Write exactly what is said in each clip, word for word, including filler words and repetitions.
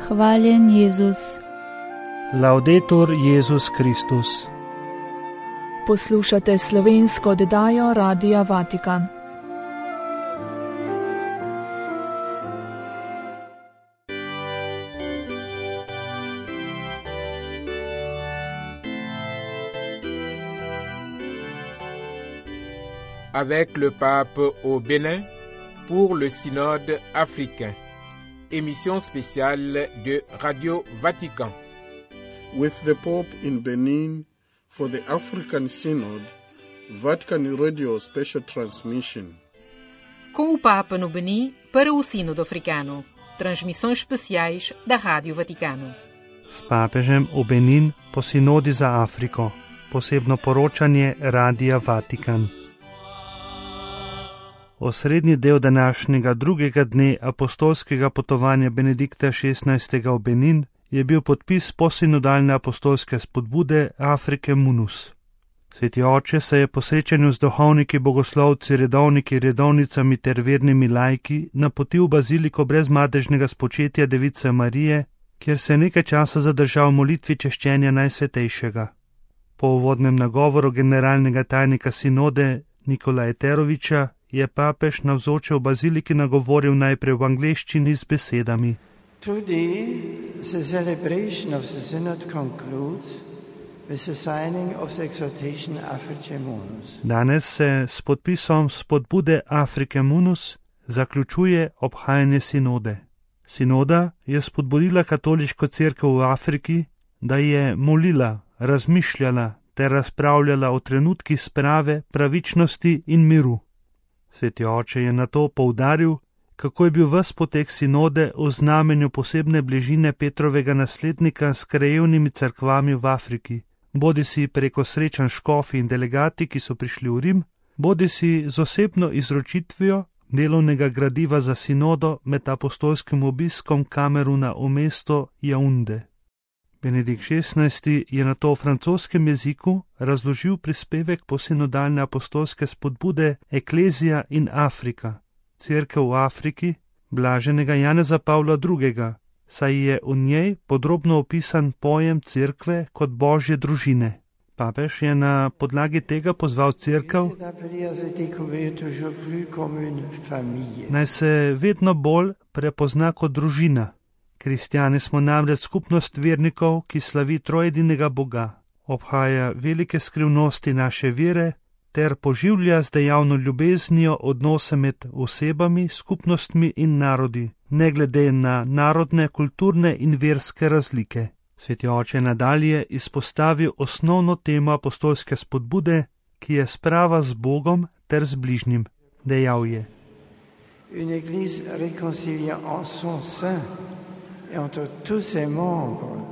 Hvaljen Jezus. Laudetur Jezus Kristus. Poslušate slovensko oddajo Radia Vatikan. Avec le pape au Bénin pour le synode africain. Émission spéciale de Radio Vatican. With the Pope in Benin for the African Synod, Vatican Radio Special Transmission. Com o Papa no Benin para o Sínodo Africano. Transmissões especiais da Rádio Vaticano. S papežem v Benin po sinodi za Afriko. Posebno poročanje Radia Vatikan. Osrednji del današnjega drugega dne apostolskega potovanja Benedikta šestnajstega v Benin je bil podpis posinodalne apostolske spodbude Afrike Munus. Sveti oče se je po srečanju z duhovniki, bogoslovci, redovniki, redovnicami ter vernimi laiki napotil v baziliko brezmadežnega spočetja Device Marije, kjer se je nekaj časa zadržal v molitvi češčenja Najsvetejšega. Po uvodnem nagovoru generalnega tajnika sinode Nikolaja Teroviča je papež navzoče v baziliki nagovoril najprej v angleščini z besedami. Today, the celebration of the synod concludes with the signing of the exhortation Africae Munus. Danes se s podpisom spodbude Africae Munus zaključuje obhajanje sinode. Sinoda je spodbudila katoliško cerkev v Afriki, da je molila, razmišljala ter razpravljala o trenutkih sprave, pravičnosti in miru. Sveti oče je nato poudaril, kako je bil ves potek sinode v znamenju posebne bližine Petrovega naslednika s krajevnimi cerkvami v Afriki, bodisi preko srečanj škofi in delegati, ki so prišli v Rim, bodisi z osebno izročitvijo delovnega gradiva za sinodo med apostolskim obiskom Kameruna v mesto Jaunde. Benedikt šestnajsti je nato v francoskem jeziku razložil prispevek posinodalne apostolske spodbude Eklezija in Afrika, cerkev v Afriki, blaženega Janeza Pavla drugega, saj je v njej podrobno opisan pojem cerkve kot božje družine. Papež je na podlagi tega pozval cerkev, naj se vedno bolj prepozna kot družina. Kristjani smo namreč skupnost vernikov, ki slavi trojedinega Boga, obhaja velike skrivnosti naše vere ter poživlja z dejavno ljubeznijo odnose med osebami, skupnostmi in narodi, ne glede na narodne, kulturne in verske razlike. Sveti oče nadalje izpostavil osnovno temo apostolske spodbude, ki je sprava z Bogom ter z bližnjim. Dejal je: Une église réconciliée en son sein entre tous ses membres.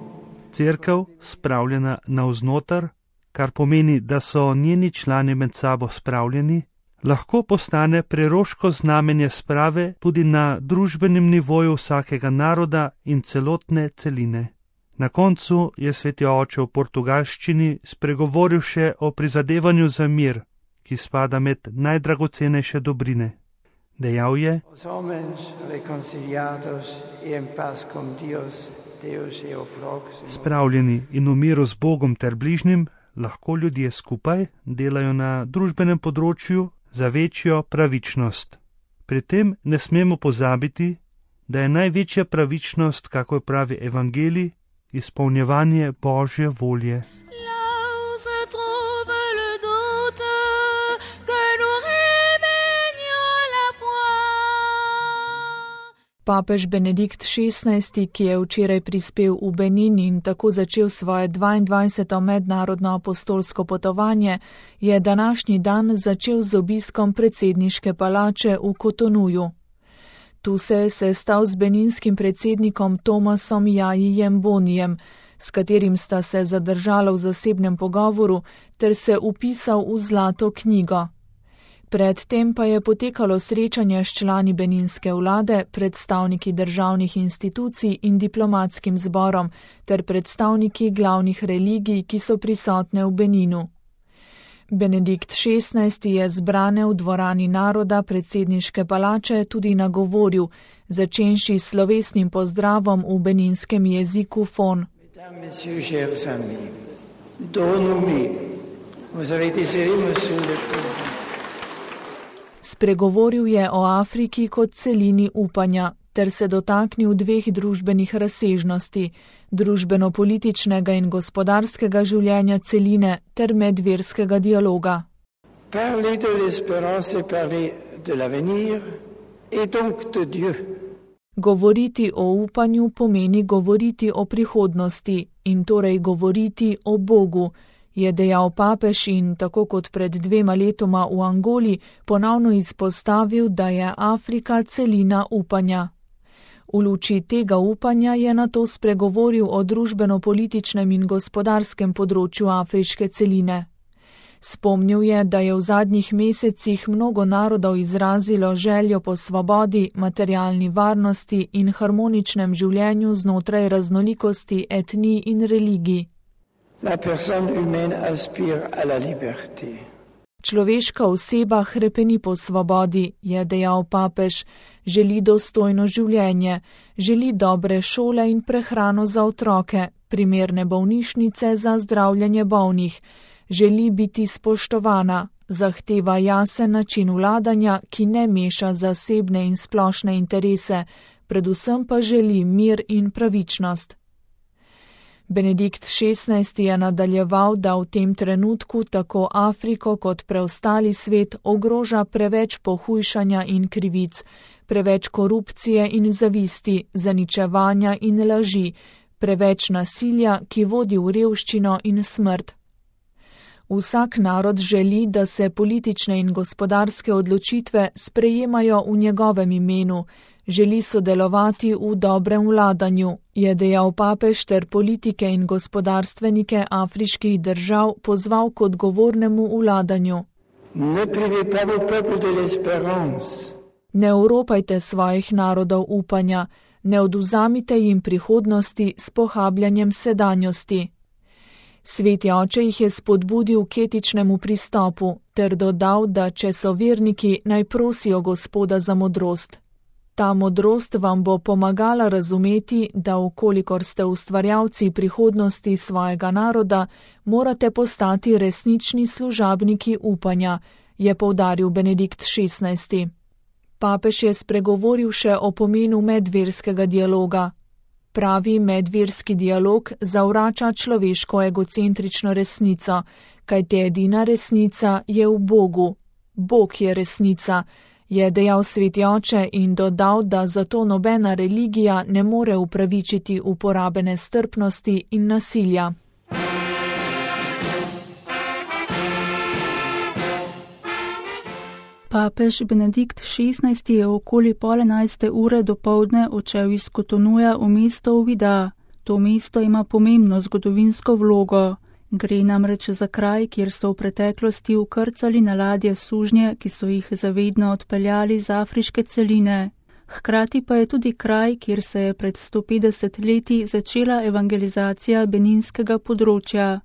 Cerkev spravljena navznoter, kar pomeni, da so njeni člani med sabo spravljeni, lahko postane preroško znamenje sprave tudi na družbenem nivoju vsakega naroda in celotne celine. Na koncu je sveti oče v portugalščini spregovoril še o prizadevanju za mir, ki spada med najdragocenejše dobrine. Dejal je: Spravljeni in v miru z Bogom ter bližnjim lahko ljudje skupaj delajo na družbenem področju za večjo pravičnost. Pri tem ne smemo pozabiti, da je največja pravičnost, kako pravi evangelij, izpolnjevanje Božje volje. Papež Benedikt šestnajsti, ki je včeraj prispel v Benin in tako začel svoje dvaindvajseto mednarodno apostolsko potovanje, je današnji dan začel z obiskom predsedniške palače v Kotonuju. Tu se je sestal z beninskim predsednikom Tomasom Jajijem Bonijem, s katerim sta se zadržala v zasebnem pogovoru ter se upisal v zlato knjigo. Predtem pa je potekalo srečanje s člani beninske vlade, predstavniki državnih institucij in diplomatskim zborom ter predstavniki glavnih religij, ki so prisotne v Beninu. Benedikt šestnajsti je zbrane v dvorani naroda predsedniške palače tudi nagovoril, začenši s slovesnim pozdravom v beninskem jeziku fon. Spregovoril je o Afriki kot celini upanja, ter se dotaknil dveh družbenih razsežnosti, družbeno-političnega in gospodarskega življenja celine ter medverskega dialoga. Govoriti o upanju pomeni govoriti o prihodnosti in torej govoriti o Bogu, je dejal papež in tako kot pred dvema letoma v Angoli ponovno izpostavil, da je Afrika celina upanja. V luči tega upanja je nato spregovoril o družbeno-političnem in gospodarskem področju afriške celine. Spomnil je, da je v zadnjih mesecih mnogo narodov izrazilo željo po svobodi, materialni varnosti in harmoničnem življenju znotraj raznolikosti etnij in religij. La personne humaine aspire à la liberté. Človeška oseba hrepeni po svobodi, je dejal papež, želi dostojno življenje, želi dobre šole in prehrano za otroke, primerne bolnišnice za zdravljenje bolnih, želi biti spoštovana, zahteva jasen način vladanja, ki ne meša zasebne in splošne interese, predvsem pa želi mir in pravičnost. Benedikt šestnajsti je nadaljeval, da v tem trenutku tako Afriko kot preostali svet ogroža preveč pohujšanja in krivic, preveč korupcije in zavisti, zaničevanja in laži, preveč nasilja, ki vodi v revščino in smrt. Vsak narod želi, da se politične in gospodarske odločitve sprejemajo v njegovem imenu, želi sodelovati v dobrem vladanju, je dejal papež ter politike in gospodarstvenike afriških držav pozval k odgovornemu vladanju. Ne privez pas vos peuples de l'espérance. Ne oropajte svojih narodov upanja, ne odvzamite jim prihodnosti s pohabljanjem sedanjosti. Sveti oče jih je spodbudil k etičnemu pristopu ter dodal, da če so verniki, naj prosijo Gospoda za modrost. Ta modrost vam bo pomagala razumeti, da vkolikor ste ustvarjalci prihodnosti svojega naroda, morate postati resnični služabniki upanja, je poudaril Benedikt šestnajsti. Papež je spregovoril še o pomenu medverskega dialoga. Pravi medverski dialog zavrača človeško egocentrično resnico, kajti edina resnica je v Bogu. Bog je resnica, je dejal sveti oče in dodal, da zato nobena religija ne more upravičiti uporabe nestrpnosti in nasilja. Papež Benedikt šestnajsti je okoli pol enajste ure dopoldne odšel iz Kotonuja v mesto Uvida. To mesto ima pomembno zgodovinsko vlogo. Gre namreč za kraj, kjer so v preteklosti vkrcali na ladje sužnje, ki so jih zavedno odpeljali z afriške celine. Hkrati pa je tudi kraj, kjer se je pred sto petdeset leti začela evangelizacija beninskega področja.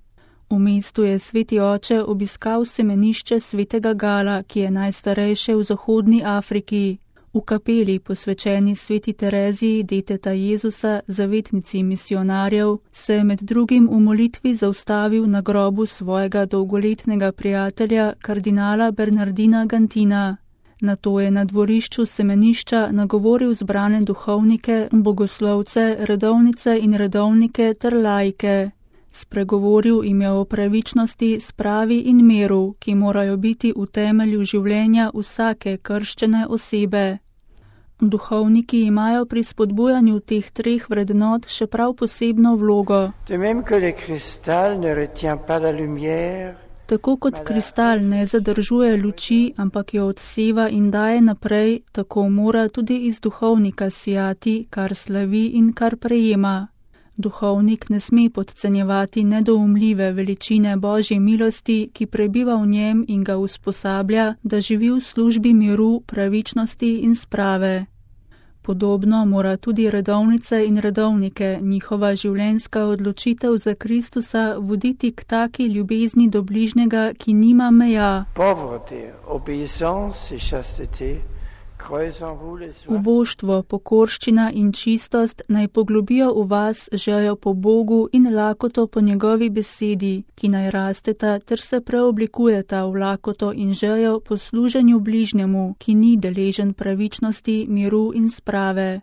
V mestu je sveti oče obiskal semenišče svetega Gala, ki je najstarejše v zahodni Afriki. V kapeli, posvečeni sveti Tereziji, deteta Jezusa, zavetnici misionarjev, se je med drugim v molitvi zaustavil na grobu svojega dolgoletnega prijatelja, kardinala Bernardina Gantina. Nato je na dvorišču semenišča nagovoril zbrane duhovnike, bogoslovce, redovnice in redovnike ter laike. Spregovoril jim je o pravičnosti, spravi in miru, ki morajo biti v temelju življenja vsake krščene osebe. Duhovniki imajo pri spodbujanju teh treh vrednot še prav posebno vlogo. Tako kot kristal ne zadržuje luči, ampak jo odseva in daje naprej, tako mora tudi iz duhovnika sijati, kar slavi in kar prejema. Duhovnik ne sme podcenjevati nedoumljive veličine Božje milosti, ki prebiva v njem in ga usposablja, da živi v službi miru, pravičnosti in sprave. Podobno mora tudi redovnice in redovnike njihova življenjska odločitev za Kristusa voditi k taki ljubezni do bližnjega, ki nima meja. Uboštvo, pokorščina in čistost naj poglobijo v vas željo po Bogu in lakoto po njegovi besedi, ki naj rasteta ter se preoblikujeta v lakoto in željo po služenju bližnjemu, ki ni deležen pravičnosti, miru in sprave.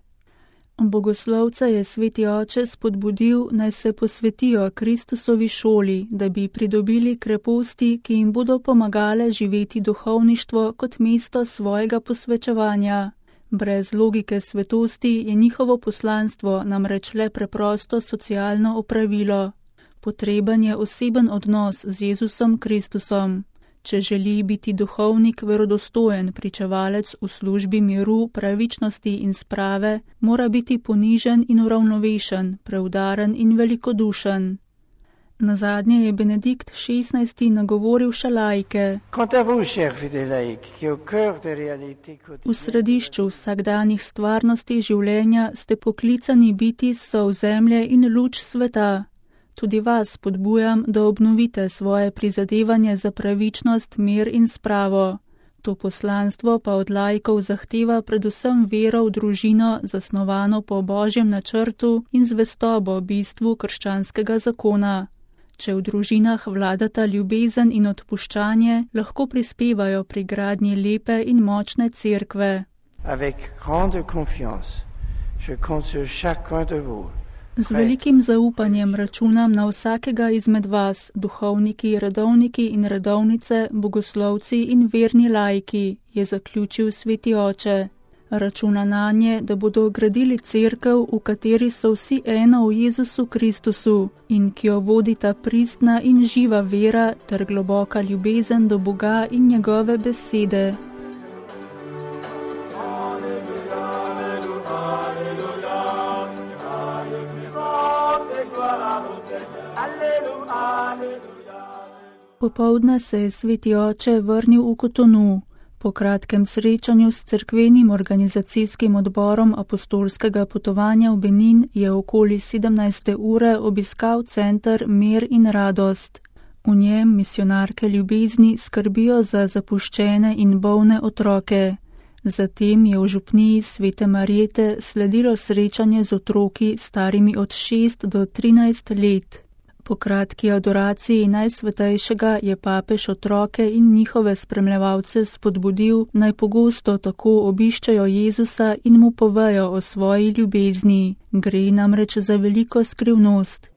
Bogoslovca je sveti oče spodbudil, naj se posvetijo Kristusovi šoli, da bi pridobili kreposti, ki jim bodo pomagale živeti duhovništvo kot mesto svojega posvečevanja. Brez logike svetosti je njihovo poslanstvo namreč le preprosto socialno opravilo. Potreben je oseben odnos z Jezusom Kristusom. Če želi biti duhovnik verodostojen pričevalec v službi miru, pravičnosti in sprave, mora biti ponižen in uravnovešen, preudaren in velikodušen. Nazadnje je Benedikt šestnajsti nagovoril še laike. V središču vsakdanjih stvarnosti življenja ste poklicani biti sol zemlje in luč sveta. Tudi vas spodbujam, da obnovite svoje prizadevanje za pravičnost, mir in spravo. To poslanstvo pa od laikov zahteva predvsem vero v družino, zasnovano po Božjem načrtu in zvestobo bistvu krščanskega zakona. Če v družinah vladata ljubezen in odpuščanje, lahko prispevajo pri gradnji lepe in močne cerkve. Avec grande confiance, je compte sur chacun de vous. Z velikim zaupanjem računam na vsakega izmed vas, duhovniki, redovniki in redovnice, bogoslovci in verni laiki, je zaključil sveti oče. Računa nanje, da bodo gradili cerkev, v kateri so vsi eno v Jezusu Kristusu in ki jo vodita pristna in živa vera ter globoka ljubezen do Boga in njegove besede. Popoldne se je sveti oče vrnil v Kotonu. Po kratkem srečanju s cerkvenim organizacijskim odborom apostolskega potovanja v Benin je okoli sedemnajste ure obiskal center Mir in radost. V njem misionarke ljubezni skrbijo za zapuščene in bolne otroke. Zatem je v župniji Svete Marjete sledilo srečanje z otroki starimi od šest do trinajst let. Po kratki adoraciji Najsvetejšega je papež otroke in njihove spremljevalce spodbudil, naj pogosto tako obiščejo Jezusa in mu povejo o svoji ljubezni. Gre namreč za veliko skrivnost.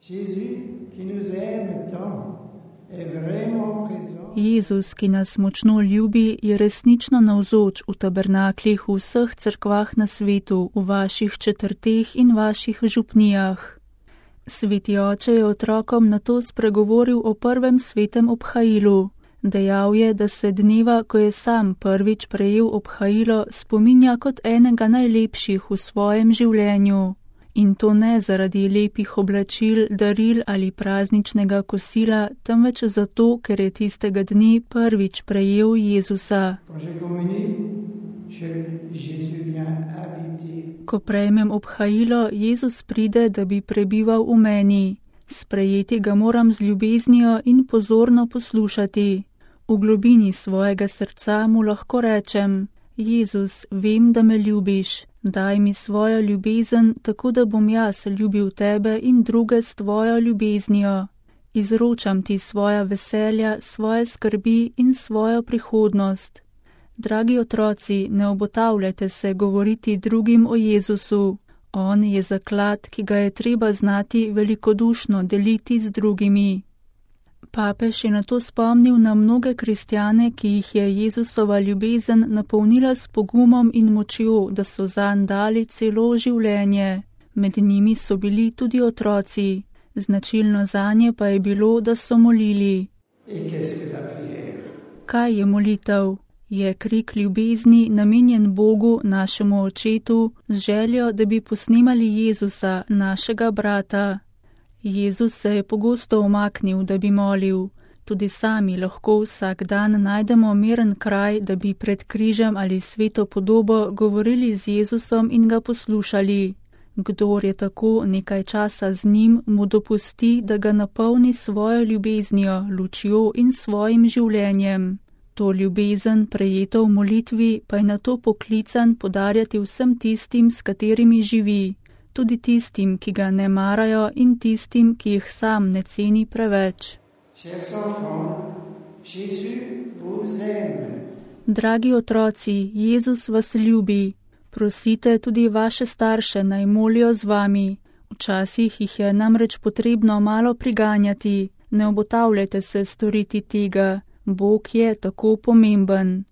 Jezus, ki nas močno ljubi, je resnično navzoč v tabernaklih v vseh cerkvah na svetu, v vaših četrteh in vaših župnijah. Sveti oče je otrokom nato spregovoril o prvem svetem obhajilu. Dejal je, da se dneva, ko je sam prvič prejel obhajilo, spominja kot enega najlepših v svojem življenju. In to ne zaradi lepih oblačil, daril ali prazničnega kosila, temveč zato, ker je tistega dne prvič prejel Jezusa. Ko prejmem obhajilo, Jezus pride, da bi prebival v meni. Sprejeti ga moram z ljubeznijo in pozorno poslušati. V globini svojega srca mu lahko rečem: Jezus, vem, da me ljubiš. Daj mi svojo ljubezen, tako da bom jaz ljubil tebe in druge s tvojo ljubeznijo. Izročam ti svoja veselja, svoje skrbi in svojo prihodnost. Dragi otroci, ne obotavljajte se govoriti drugim o Jezusu. On je zaklad, ki ga je treba znati velikodušno deliti z drugimi. Papež je nato spomnil na mnoge kristjane, ki jih je Jezusova ljubezen napolnila s pogumom in močjo, da so zanj dali celo življenje. Med njimi so bili tudi otroci. Značilno zanje pa je bilo, da so molili. Kaj je molitev? Je krik ljubezni namenjen Bogu, našemu očetu, z željo, da bi posnemali Jezusa, našega brata. Jezus se je pogosto umaknil, da bi molil. Tudi sami lahko vsak dan najdemo miren kraj, da bi pred križem ali sveto podobo govorili z Jezusom in ga poslušali. Kdor je tako nekaj časa z njim, mu dopusti, da ga napolni svojo ljubeznijo, lučjo in svojim življenjem. To ljubezen, prejeto v molitvi, pa je nato poklican podarjati vsem tistim, s katerimi živi, tudi tistim, ki ga ne marajo in tistim, ki jih sam ne ceni preveč. Dragi otroci, Jezus vas ljubi. Prosite tudi vaše starše, naj molijo z vami. Včasih jih je namreč potrebno malo priganjati. Ne obotavljajte se storiti tega. Bog je tako pomemben.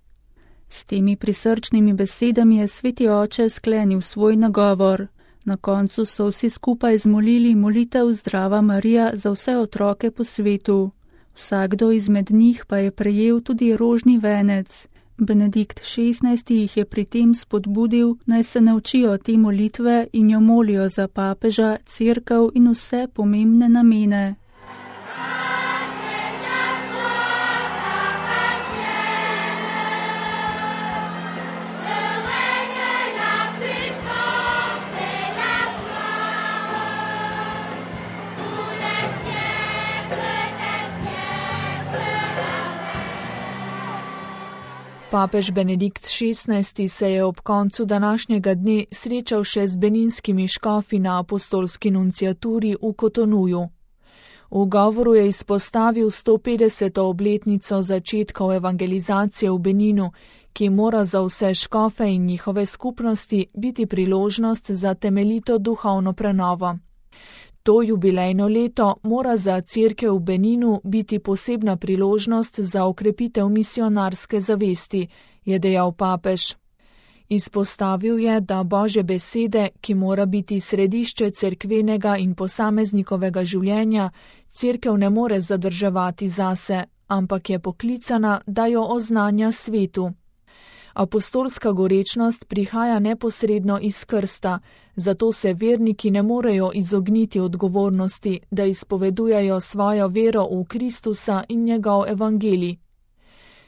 S temi prisrčnimi besedami je sveti oče sklenil svoj nagovor. Na koncu so vsi skupaj zmolili molitev Zdrava Marija za vse otroke po svetu. Vsakdo izmed njih pa je prejel tudi rožni venec. Benedikt šestnajsti jih je pri tem spodbudil, naj se naučijo te molitve in jo molijo za papeža, cerkev in vse pomembne namene. Papež Benedikt šestnajsti se je ob koncu današnjega dne srečal še z beninskimi škofi na apostolski nunciaturi v Kotonuju. V govoru je izpostavil sto petdeseto obletnico začetkov evangelizacije v Beninu, ki mora za vse škofe in njihove skupnosti biti priložnost za temeljito duhovno prenovo. To jubilejno leto mora za cerkev v Beninu biti posebna priložnost za okrepitev misionarske zavesti, je dejal papež. Izpostavil je, da Božje besede, ki mora biti središče cerkvenega in posameznikovega življenja, cerkev ne more zadrževati zase, ampak je poklicana, da jo oznanja svetu. Apostolska gorečnost prihaja neposredno iz krsta, zato se verniki ne morejo izogniti odgovornosti, da izpovedujejo svojo vero v Kristusa in njegov evangelij.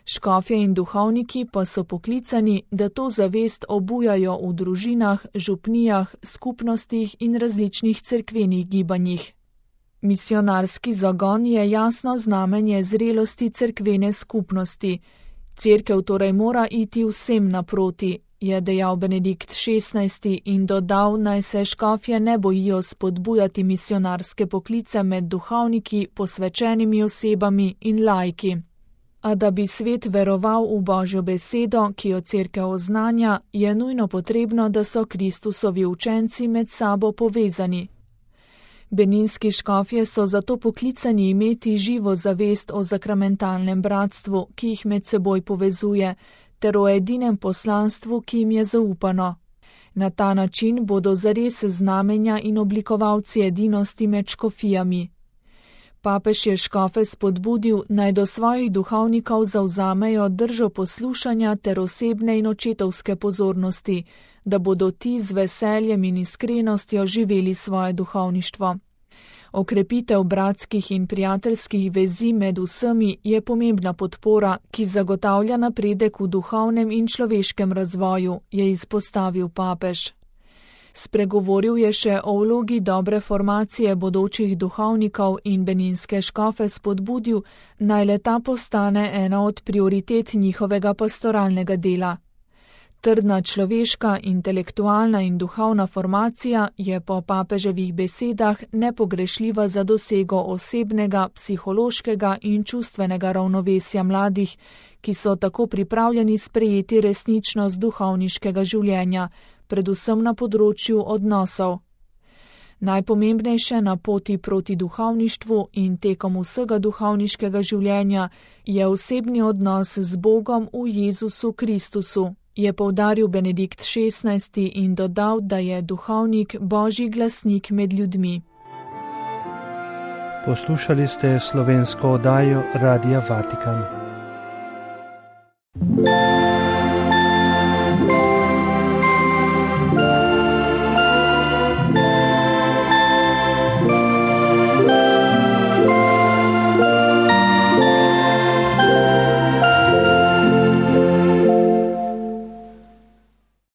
Škofje in duhovniki pa so poklicani, da to zavest obujajo v družinah, župnijah, skupnostih in različnih cerkvenih gibanjih. Misionarski zagon je jasno znamenje zrelosti cerkvene skupnosti. Cerkev torej mora iti vsem naproti, je dejal Benedikt šestnajsti in dodal, naj se škofje ne bojijo spodbujati misionarske poklice med duhovniki, posvečenimi osebami in laiki. A da bi svet veroval v Božjo besedo, ki jo cerkev oznanja, je nujno potrebno, da so Kristusovi učenci med sabo povezani. Beninski škofje so zato poklicani imeti živo zavest o sakramentalnem bratstvu, ki jih med seboj povezuje, ter o edinem poslanstvu, ki jim je zaupano. Na ta način bodo zares znamenja in oblikovalci edinosti med škofijami. Papež je škofe spodbudil, naj do svojih duhovnikov zavzamejo držo poslušanja ter osebne in očetovske pozornosti, da bodo ti z veseljem in iskrenostjo živeli svoje duhovništvo. Okrepitev bratskih in prijateljskih vezi med vsemi je pomembna podpora, ki zagotavlja napredek v duhovnem in človeškem razvoju, je izpostavil papež. Spregovoril je še o vlogi dobre formacije bodočih duhovnikov in beninske škofe spodbudil, naj le ta postane ena od prioritet njihovega pastoralnega dela. Trdna človeška, intelektualna in duhovna formacija je po papeževih besedah nepogrešljiva za dosego osebnega, psihološkega in čustvenega ravnovesja mladih, ki so tako pripravljeni sprejeti resničnost duhovniškega življenja, predvsem na področju odnosov. Najpomembnejše na poti proti duhovništvu in tekom vsega duhovniškega življenja je osebni odnos z Bogom v Jezusu Kristusu, je poudaril Benedikt šestnajsti in dodal, da je duhovnik Božji glasnik med ljudmi. Poslušali ste slovensko oddajo Radia Vatikan.